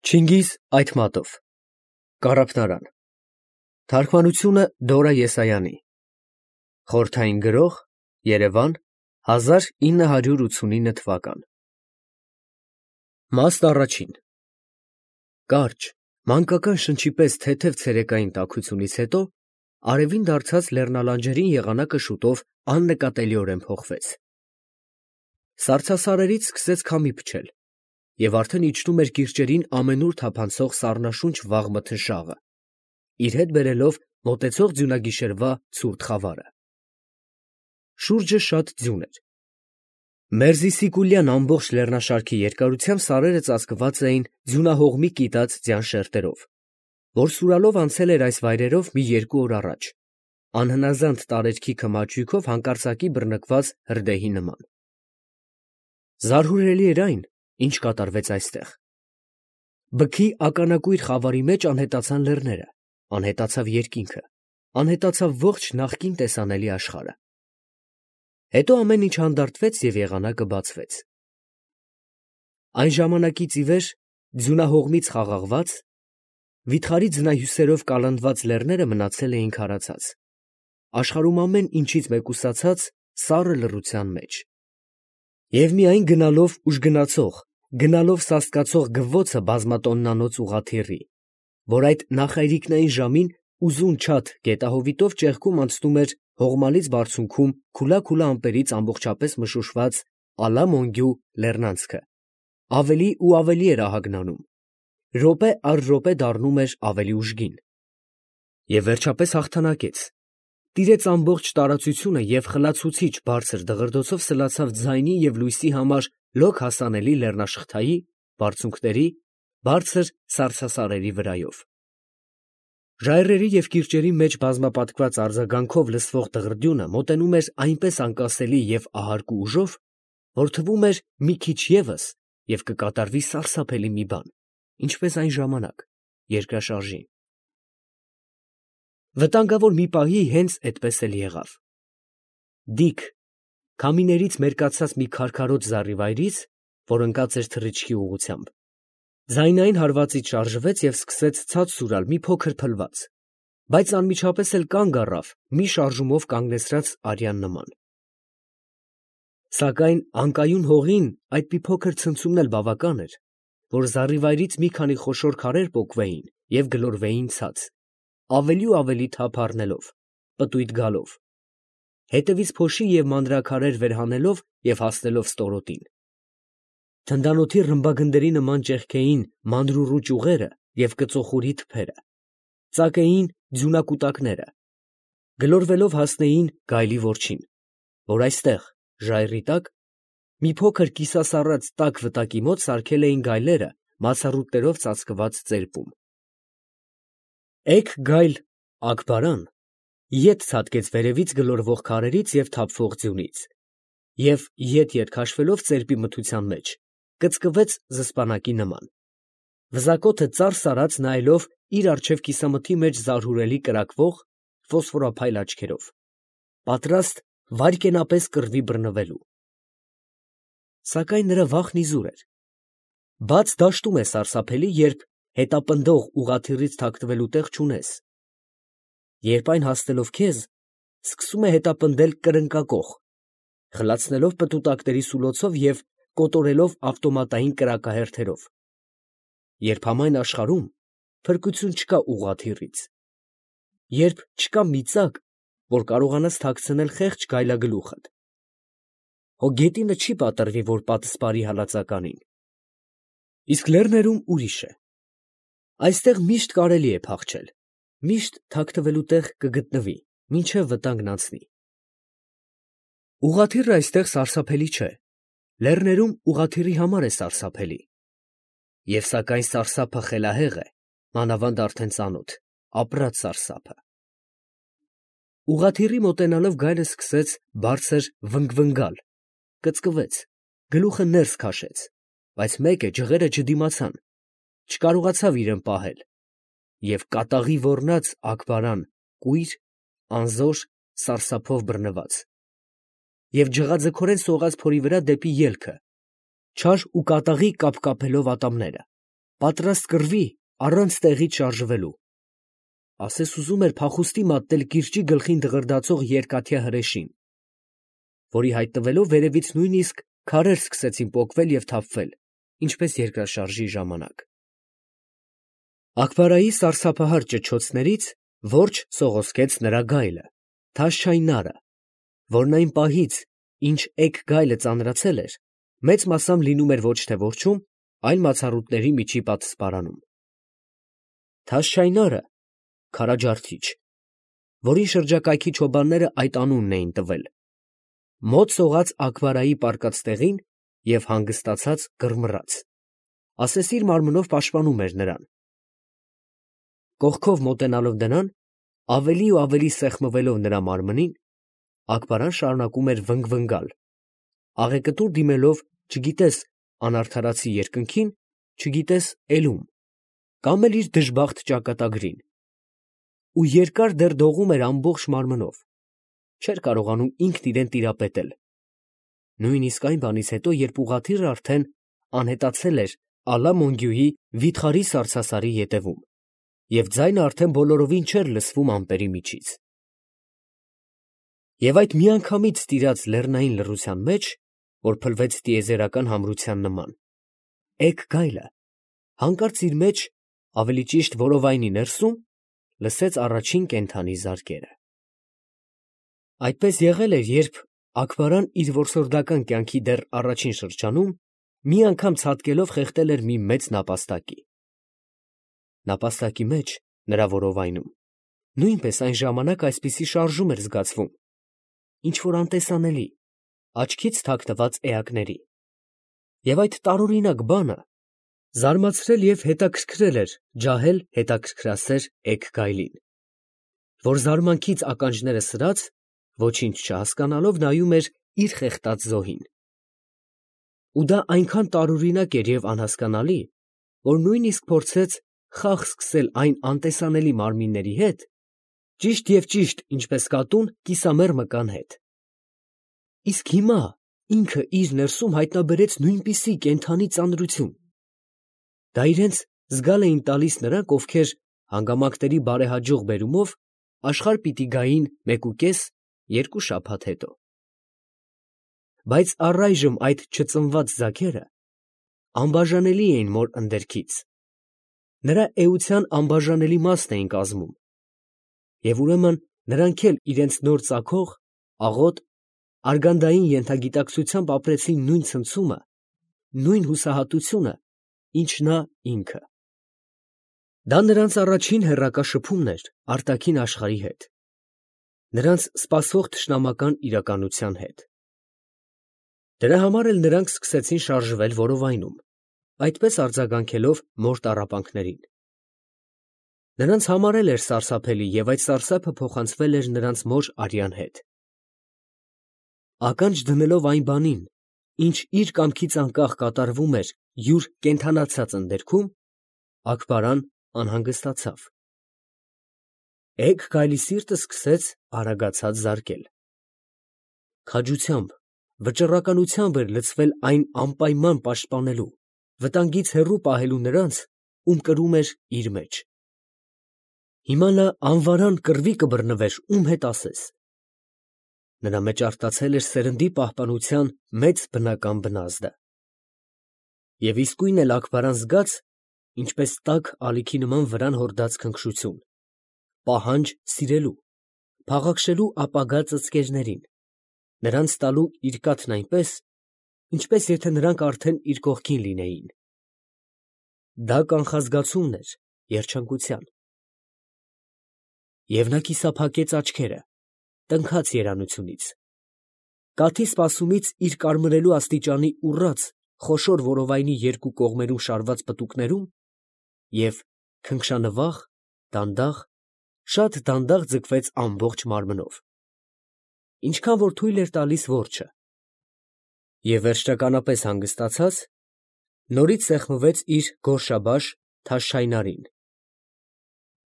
Չինգիզ Այթմատով Կարապնարան Թարգմանությունը Դորա Եսայանի Խորհրդային գրող Երևան 1989 թվական Մաստ առաջին Կարճ մանկական շնչի պես թեթև ցերեկային տաքությունից հետո արևին դարձած լեռնալանջերին եղանակը շուտով աննկատելիորեն փոխվեց Սառցասարերից սկսեց քամի փչել և արդեն իջնում էր կիրճերին ամենուր թափանցող սառնաշունչ վաղ մթնշաղը, իր հետ բերելով մոտեցող ձյունագիշերվա ցուրտ խավարը։ Շուրջը շատ ձյուն էր։ Մերզիսիկուլյան ամբողջ լեռնաշարքի երկարությամբ սարերը ծածկված էին ձյունահողմի կիտած ձյան շերտերով, որ սուրալով անցել էր այս վայրերով մի 2 օր առաջ, անհնազանդ տարերքի քմաճույքով հանկարծակի բռնկված հրդեհի նման։ Զարհուրելի էր այն, ինչ կատարվեց այստեղ։ Բքի ականակույր խավարի մեջ անհետացան լեռները, անհետացավ երկինքը, անհետացավ ողջ նախկին տեսանելի աշխարհը։ Հետո ամեն ինչ հանդարտվեց և եղանակը բացվեց։ Այն ժամանակից ի վեր ձյունահողմից խաղաղված, վիթխարի ձնահյուսերով կալանդված լեռները մնացել էին քարացած, աշխարհում ամեն ինչից մեկուսացած սառը լռության մեջ։ Եվ միայն գնալով ուժգնացող, գնալով սաստկացող գվվոցը բազմատոննանոց ուղղաթիռի, որ այդ նախայրիկնային ժամին ուզուն չաթ գետահովիտով ճեղքում անցնում էր հողմալից բարձունքում քուլա ամպերից ամբողջապես մշուշված Ալա֊Մոնգյու լեռնանցքը, ավելի ու ավելի էր ահագնանում, րոպե առ րոպե դառնում էր ավելի ուժգին։ Եվ վերջապես հաղթանակեց, տիրեց ամբողջ տարածությունը և խլացուցիչ բարձր դղրդոցով սլացավ ձայնի և լույսի համար լոկ հասանելի լեռնաշղթայի, բարձունքների, բարձր սառցասարերի վրայով։ Ժայռերի և կիրճերի մեջ բազմապատկված արձագանքով լսվող դղրդյունը մոտենում էր այնպես անկասելի և ահարկու ուժով, որ թվում էր մի քիչ ևս և կկատարվի սարսափելի մի բան, ինչպես այն ժամանակ, երկրաշարժին։ Վտանգավոր մի պահի հենց էդպես էլ եղավ։ Դիք, քամիներից մերկացած մի քարքարոտ զառիվայրից, որ ընկած էր թռիչքի ուղղությամբ, ձայնային հարվածից շարժվեց և սկսեց ցած սուրալ մի փոքր փլված, բայց անմիջապես էլ կանգ առավ մի շարժումով կանգնեցրած արյան նման։ Սակայն անկայուն հողին այդ մի փոքր ցնցումն էլ բավական էր, որ զառիվայրից մի քանի խոշոր քարեր պոկվեին և գլորվեին ցած, ավելի ու ավելի թափ առնելով, պտույտ գալով, հետևից փոշի և մանրաքարեր վեր հանելով և հասնելով ստորոտին։ Թնդանոթի ռմբագնդերի նման ճեղքեին մանրուռու ճյուղերը և կծոխուրի թփերը, ծակեին ձյունակուտակները, գլորվելով հասնեին գայլի որջին, որ այստեղ, ժայռի տակ, մի փոքր կիսասառած տաք վտակի մոտ սարքել էին գայլերը մացառուտներով ծածկված ծերպում։ Էգ գայլ Աքբարան ետ ցատկեց վերևից գլորվող քարերից և թափվող ձյունից և ետ քաշվելով ծերպի մթության մեջ, կծկվեց զսպանակի նման, վզակոթը ծարս արած նայելով իր առջև կիսամթի մեջ զարհուրելի կրակվող ֆոսֆորափայլ աչքերով, պատրաստ վայրկենապես կռվի բռնվելու։ Սակայն նրա վախն իզուր էր։ Բաց դաշտում է սարսափելի, երբ հետապնդող ուղղաթիռից թաքնվելու տեղ չունես, երբ այն հասնելով քեզ, սկսում է հետապնդել կրնկակոխ, խլացնելով պտուտակների սուլոցով և կոտորելով ավտոմատային կրակահերթերով, երբ համայն աշխարհում փրկություն չկա ուղղաթիռից, երբ չկա մի ծակ, որ կարողանաս թաքցնել խեղճ գայլագլուխդ։ Հո գետինը չի պատռվի, որ պատսպարի հալածականին։ Իսկ լեռներում ուրիշ է։ Այստեղ միշտ կարելի է փախչել, միշտ թաքնվելու տեղ կգտնվի, մինչև վտանգն անցնի։ Ուղղաթիռը այստեղ սարսափելի չէ, լեռներում ուղղաթիռի համար է սարսափելի։ Եվ սակայն սարսափը խելահեղ է, մանավանդ արդեն ծանոթ, ապրած սարսափը։ Ուղղաթիռի մոտենալով գայլը սկսեց բարձր վնգվնգալ, կծկվեց, գլուխը ներս քաշեց, բայց մեկ է ջղերը չդիմացան, չկարողացավ իրեն պահել, և կատաղի ոռնաց Աքբարան կույր, անզոր, սարսափով բռնված, և ջղաձգորեն սողաց փորի վրա դեպի ելքը, չար ու կատաղի կապկապելով ատամները, պատրաստ կռվի առանց տեղից շարժվելու։ Ասես ուզում էր փախուստի մատնել կիրճի գլխին դղրդացող երկաթյա հրեշին, որի հայտնվելով վերևից նույնիսկ քարեր սկսեցին պոկվել և թափվել, ինչպես երկրաշարժի ժամանակ։ Աքբարայի սարսափահար ճչոցներից որջ սողոսկեց նրա գայլը, Թաշչայնարը, որն այն պահից, ինչ էգ գայլը ծանրացել էր, մեծ մասամբ լինում էր ոչ թե որջում, այլ մացառուտների միջի պատսպարանում։ Թաշչայնարը քարաջարդիչ, որին շրջակայքի չոբանները այդ անունն էին տվել, մոտ սողաց Աքբարայի պառկած տեղին և հանգստացած կռմռաց, ասես իր մարմնով պաշտպանում էր նրան։ Կողքով մոտենալով նրան, ավելի ու ավելի սեղմվելով նրա մարմնին, Աքբարան շարունակում էր վնգվնգալ, աղեկտուր դիմելով չգիտես անարդարացի երկնքին, չգիտես էլում, կամ էլ իր դժբախտ ճակատագրին, ու երկար դեռ դողում էր ամբողջ մարմնով, չէր կարողանում ինքն իրան տիրապետել, նույնիսկ այն բանից հետո, երբ ուղղաթիռը արդեն անհետացել էր Ալա Մոնգյուի վիթխարի սառցասարի ետևում, և ձայնը արդեն բոլորովին չէր լսվում ամպերի միջից։ Եվ այդ միանգամից տիրած լեռնային լռության մեջ, որ փլվեց տիեզերական համրության նման, էգ գայլը հանկարծ իր մեջ, ավելի ճիշտ որովայնի ներսում, լսեց առաջին կենդանի զարկերը։ Այդպես եղել էր, երբ Աքբարան իր որսորդական կյանքի դեռ առաջին շրջանում մի անգամ ցատկելով խեղդել էր մի մեծ նապաստակի։ Նապաստակի մեջ, նրա որովայնում, նույնպես այն ժամանակ այսպիսի շարժում էր զգացվում, ինչ-որ անտեսանելի, աչքից թաքնված էակների, և այդ տարօրինակ բանը զարմացրել և հետաքրքրել էր ջահել հետաքրքրասեր էգ գայլին, որ զարմանքից ականջները սրած, ոչինչ չհասկանալով նայում էր իր խեղդած զոհին։ Ու դա այնքան տարօրինակ էր և անհասկանալի, որ նույնիսկ փորձեց խաղ սկսել այն անտեսանելի մարմինների հետ, ճիշտ, ինչպես կատուն կիսամեռ մկան հետ։ Իսկ հիմա ինքը իր ներսում հայտնաբերեց նույնպիսի կենդանի ծանրություն։ Դա իրենց զգալ էին տալիս նրանք, ովքեր հանգամանքների բարեհաջող բերումով աշխարհ պիտի գային 1.5-2 շաբաթ հետո։ Բայց առայժմ այդ չծնված ձագերը անբաժանելի էին մոր ընդերքից, նրա էության անբաժանելի մասն էին կազմում, և ուրեմն նրանք էլ իրենց նոր ծագող, աղոտ, արգանդային ենթագիտակցությամբ ապրեցին նույն ցնցումը, նույն հուսահատությունը, ինչ նա ինքը։ Դա նրանց առաջին հեռակա շփումն էր արտաքին աշխարհի հետ, նրանց սպասվող թշնամական իրականության հետ։ Դրա համար էլ նրանք սկսեցին շարժվել որովայնում, այդպես արձագանքելով մոր տառապանքներին։ Նրանց համար էլ էր սարսափելի, և այդ սարսափը փոխանցվել էր նրանց մոր արյան հետ։ Ականջ դնելով այն բանին, ինչ իր կամքից անկախ կատարվում էր յուր կենդանացած ընդերքում, Աքբարան անհանգստացավ։ Էգ գայլի սիրտը սկսեց արագացած զարկել։ Քաջությամբ, վճռականությամբ էր լցվել այն անպայման պաշտպանելու, վտանգից հեռու պահելու նրանց, ում կրում էր իր մեջ։ Հիմա նա անվարան կռվի կբռնվեր ում հետ ասես։ Նրա մեջ արտացել էր սերնդի պահպանության մեծ բնական բնազդը։ Եվ իսկույն էլ Աքբարան զգաց, ինչպես տաք ալիքի նման վրան հորդած քնքշություն, պահանջ սիրելու, փաղաքշելու ապագա ծծկերներին, նրանց տալու իր կաթն այնպես, ինչպես եթե նրանք արդեն իր կողքին լինեին։ Դա կանխազգացումն էր երջանկության։ Եվ նա կիսափակեց աչքերը, տնքաց երանությունից։ Կաթի սպասումից իր կարմրելու աստիճանի ուռած, խոշոր որովայնի երկու կողմերում շարված պտուկներում և քնքշանվախ, դանդաղ, շատ դանդաղ ձգվեց ամբողջ մարմնով, ինչքան որ թույլ էր տալիս որջը, և վերջնականապես հանգստացած, նորից սեղմվեց իր գորշաբաշ Թաշչայնարին։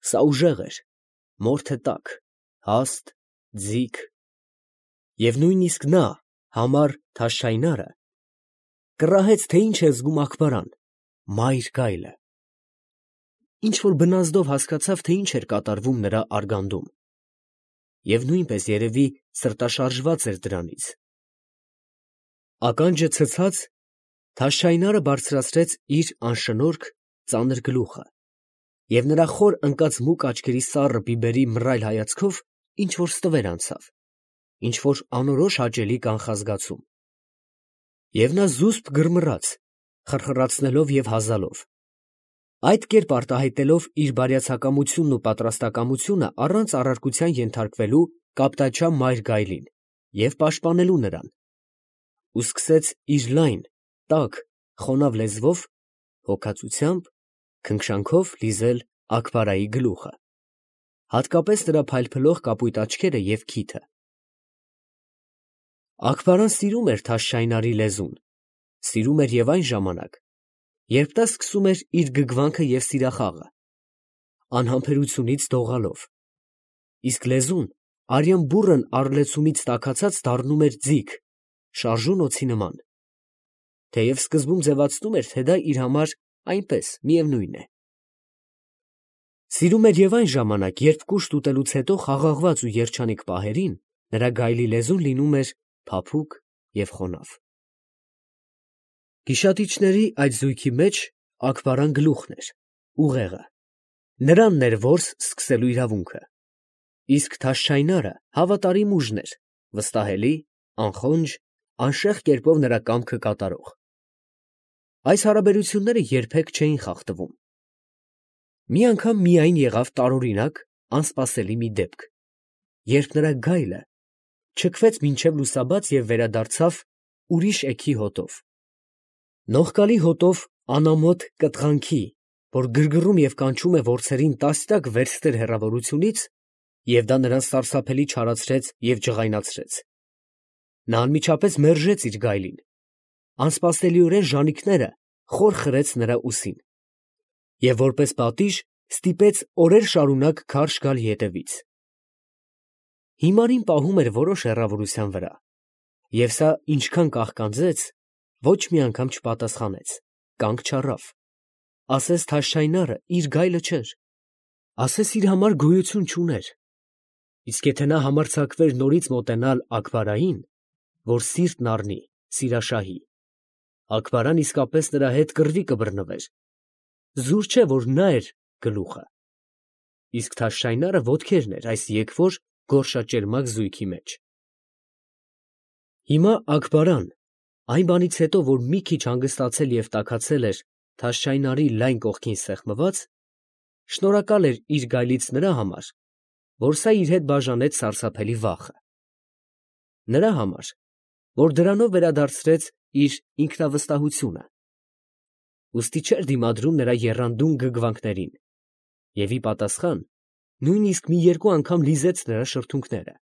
Սա ուժեղ էր, մորթե տաք, հաստ, ձիգ, և նույնիսկ նա, համառ Թաշչայնարը, կռահեց, թե ինչ է զգում Աքբարան, մայր գայլը։ ինչ-որ բնազդով հասկացավ, թե ինչ էր կատարվում նրա արգանդում, և նույնպես երևի սրտաշարժված էր դրանից։ Ականջը ցցած, Թաշչայնարը բարձրացրեց իր անշնորհք ծանր գլուխը, և նրա խոր ընկած մուգ աչքերի սառը բիբերի մռայլ հայացքով ինչ-որ ստվեր անցավ, ինչ-որ անորոշ հաճելի կանխազգացում։ Եվ նա զուսպ գրմռաց, խրխրացնելով և հազալով, այդ կերպ արտահայտելով իր բարյացակամությունն ու պատրաստակամությունը առանց առարկության ենթարկվելու կապտաչա մայր գայլին և պաշտպանելու նրան, ու սկսեց իր լայն, տաք, խոնավ լեզվով, հոգածությամբ, քնքշանքով լիզել Աքբարայի գլուխը, հատկապես նրա փայլփլող կապույտ աչքերը և քիթը։ Աքբարան սիրում էր Թաշչայնարի լեզուն, սիրում էր և այն ժամանակ, երբ նա սկսում էր իր գգվանքը և սիրախաղը, անհամբերությունից դողալով, իսկ լեզուն արյան բուռն առլեցումից տաքացած դառնում էր ձիգ, շարժուն օձի նման, թեև սկզբում ձևացնում էր, թե դա իր համար այնպես միևնույն է։ Սիրում էր և այն ժամանակ, երբ կուշտ ուտելուց հետո խաղաղված ու երջանիկ պահերին նրա գայլի լեզուն լինում էր փափուկ և խոնավ։ Գիշատիչների այդ զույգի մեջ Աքբարան գլուխն էր, ուղեղը, նրանն էր որս սկսելու իրավունքը, իսկ Թաշչայնարը հավատարիմ ուժն էր, վստահելի, անխոնջ, անշեղ կերպով նրա կամքը կատարող։ Այս հարաբերությունները երբեք չէին խախտվում։ Մի անգամ միայն եղավ տարօրինակ, անսպասելի մի դեպք, երբ նրա գայլը չքվեց մինչև լուսաբաց և վերադարձավ ուրիշ էգի հոտով, նողկալի հոտով անամոթ կտղանքի, որ գրգռում և կանչում է որձերին տասնյակ վերստեր հեռավորությունից, և դա նրան սարսափելի չարացրեց և ջղայնացրեց։ Նա անմիջապես մերժեց իր գայլին, անսպասելիորեն ժանիքները խոր խրեց նրա ուսին և որպես պատիժ ստիպեց օրեր շարունակ քարշ գալ ետևից։ Հիմարին պահում էր որոշ հեռավորության վրա, և սա ինչքան կաղկանձեց, ոչ մի անգամ չպատասխանեց, կանգ չառավ, ասես Թաշչայնարը իր գայլը չէր, ասես իր համար գոյություն չուներ, իսկ եթե նա համարձակվեր նորից մոտենալ Աքբարային, որ սիրտն առնի սիրաշահի, Աքբարան իսկապես նրա հետ կռվի կբռնվեր, զուր չէ, որ նա էր գլուխը, իսկ Թաշչայնարը ոտքերն էր այս եկվոր գորշաճերմակ զույգի մեջ։ Հիմա Աքբարան, այն բանից հետո, որ մի քիչ հանգստացել և տաքացել էր Թաշչայնարի լայն կողքին սեղմված, շնորհակալ էր իր գայլից նրա համար, որ սա իր հետ բաժանեց սարսափելի վախը, նրա համար, որ դրանով վերադարձրեց իր ինքնավստահությունը, ուստի չէր դիմադրում նրա եռանդուն գգվանքներին և ի պատասխան նույնիսկ մի երկու անգամ լիզեց նրա շրթունքները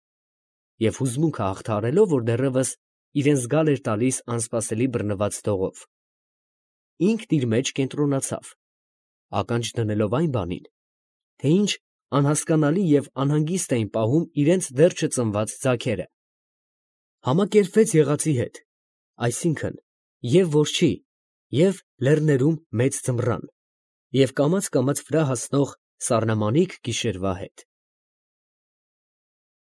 և հուզմունքը հաղթահարելով, որ դեռևս իրան զգալ էր տալիս անսպասելի բռնված դողով, ինքն իր մեջ կենտրոնացավ, ականջ դնելով այն բանին, թե ինչ անհասկանալի և անհանգիստ էին պահում իրենց դեռ չծնված ձագերը, համակերպվեց եղածի հետ, այսինքն և որջի, և լեռներում մեծ ձմռան, և կամաց֊կամաց վրա հասնող սառնամանիք գիշերվա հետ։